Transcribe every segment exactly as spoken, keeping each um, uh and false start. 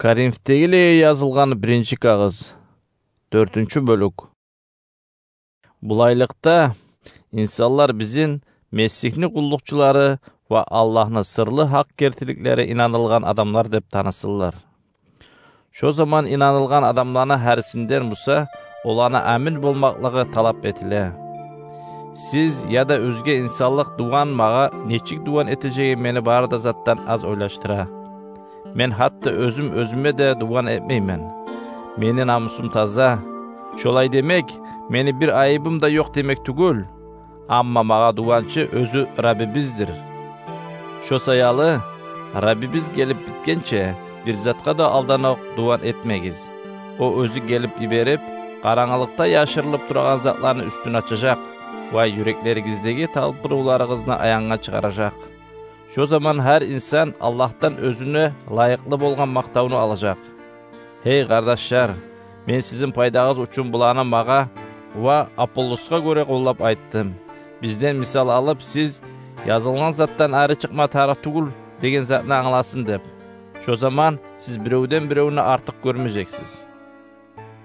Коринфдегилеге язылгъан биринчи кагъыз, дёртюнчю бёлюк. Булайлыкъда, инсанлар бизин Месигьни къуллукъчулары ва Аллагьны сырлы гьакъ гертиликлери инанылгъан адамлар деп танысынлар. Шо заман инанылгъан адамланы гьарисинден буса оланы амин болмакълыгъы талап этиле. Сиз яда оьзге инсанлыкъ дуван магъа нечик дуван этежегин мени бары да затдан аз ойлашдыра. Мен гьатта оьзюм оьзюме де дуван этмеймен. Мени намусум таза. Шолай демек, мени бир айыбым да ёкъ демек тюгюл. Амма магъа дуванчы оьзю Раббибиздир. Шо саялы, Раббибиз гелип битгенче, бир затгъа да алданокъ дуван этмегиз. О оьзю гелип йиберип, къарангылыкъда яшырылып турагъан затланы уьстюн ачажакъ ва юреклеригиздеги талпынывларыгъызны аянгъа чыгъаражакъ. Шо заман гьар инсан Аллагьдан оьзюне лайыкълы болгъан макътавну алажакъ. Гьей къардашлар, мен сизин пайдагъыз учун буланы магъа ва Аполлосгъа гёре къоллап айтдым. Бизден мисал алып, сиз язылгъан затдан ари чыкъма тарыкъ тюгюл деген затны англасын деп. Шо заман сиз биревден биревню артыкъ гёрмежексиз.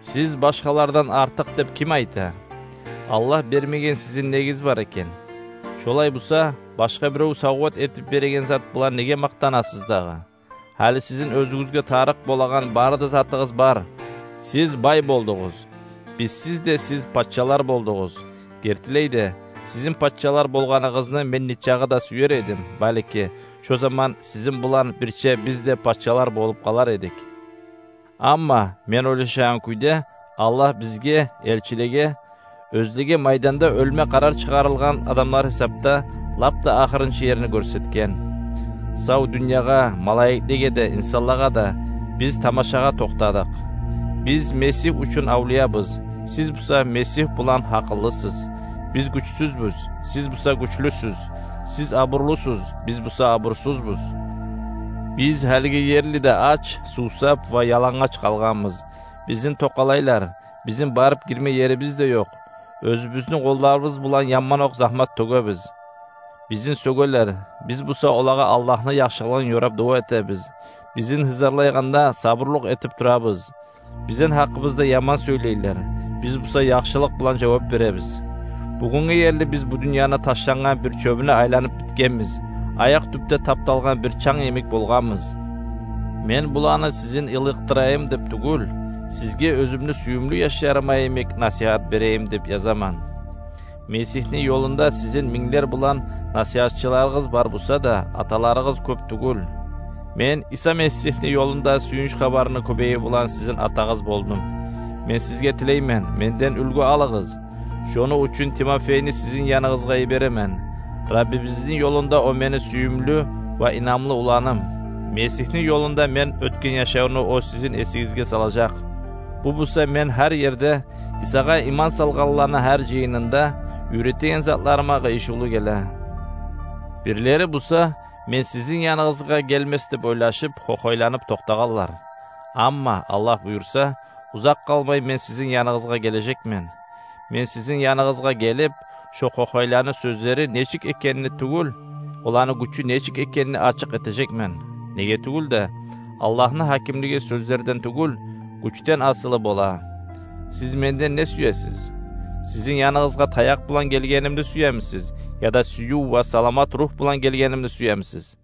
Сиз башгъалардан артыкъ деп ким айта? Аллагь бермеген сизин негиз бар экен. Шолай буса, башгъа бирев савгъат этип береген зат булан неге макътанасыз дагъы? Гьали сизин оьзюгюзге тарыкъ болагъан бары да затыгъыз бар. Сиз бай болдугъуз. Бизсиз де сиз пачалар болдугъуз. Гертилей де, сизин пачалар болгъаныгъызны мен нечакъы да сюер эдим, балики, шо заман сизин булан бирче биз де пачалар болуп къалар эдик. Амма мен ойлашагъан кюйде, Аллагь бизге, элчилеге, оьзлеге майданда оьлме къарар чыгъарылгъан адамлар гьисапда лап да ахырынчы ерни гёрсетген. Сав дюньягъа, малайиклеге де, инсанлагъа да биз тамашагъа токътадыкъ. Биз Месигь учун авлиябыз, сиз буса Месигь булан гьакъыллысыз. Биз гючсюзбюз, сиз буса гючлюсюз. Сиз абурлусуз, биз буса абурсузбуз. Биз гьалиге ерли де ач, сувсап ва ялангъач къалгъанбыз. Бизин токъалайлар, бизин барып гирме ерибиз де ёкъ. Оьзюбюзню къолларыбыз булан яман окъ загьмат тёгебиз. Бизин сёгелер, биз буса олагъа Аллагьны яхшылыгъын ёрап дуа этебиз. Бизин гьызарлайгъанда сабурлукъ этип турабыз. Бизин гьакъыбызда яман сёйлейлер, биз буса яхшылыкъ булан жавап беребиз. Бугюнге ерли биз бу дюньяны ташлангъан бир чёбюне айланып битгенбиз, аякъ тюпде тапталгъан бир чанг йимик болгъанбыз. Мен буланы сизин йылыкъдырайым деп тюгюл, сизге оьзюмню сююмлю яшларыма йимик насигьат берейим деп язаман. Месигьни ёлунда сизин минглер булан насигьатчыларыгъыз бар буса да, аталарыгъыз кёп тюгюл. Мен Иса Месигьни ёлунда сююнч хабарны кёбейи булан сизин атагъыз болдум. Мен сизге тилеймен, менден уьлгю алыгъыз. Шону учун Тимофейни сизин яныгъызгъа йиберемен. Раббибизни ёлунда о мени сююмлю ва инамлы уланым. Месигьни ёлунда мен оьтген яшавну о сизин эсигизге салажакъ. Бу буса мен гьар ерде Исагъа иман салгъанланы гьар жыйынында уьйретеген затларыма къыйышывлу геле. Бирлери буса, мен сизин яныгъызгъа гелмес деп ойлашып, хохойланып токътагъанлар. Амма, Аллагь буюрса, узакъ къалмай мен сизин яныгъызгъа гележекмен. Мен сизин яныгъызгъа гелип, шо хохойланы сёзлери нечик экенни тюгюл, оланы гючю нечик экенни ачыкъ этежекмен. Неге тюгюл де, Аллагьны гьакимлиги сёзлерден тюгюл, гючден асылы бола. Сиз менден не сюесиз? Сизин яныгъызгъа таякъ булан гелгенимни сюемисиз, яда сююв ва саламат ругь булан гелгенимни сюемисиз?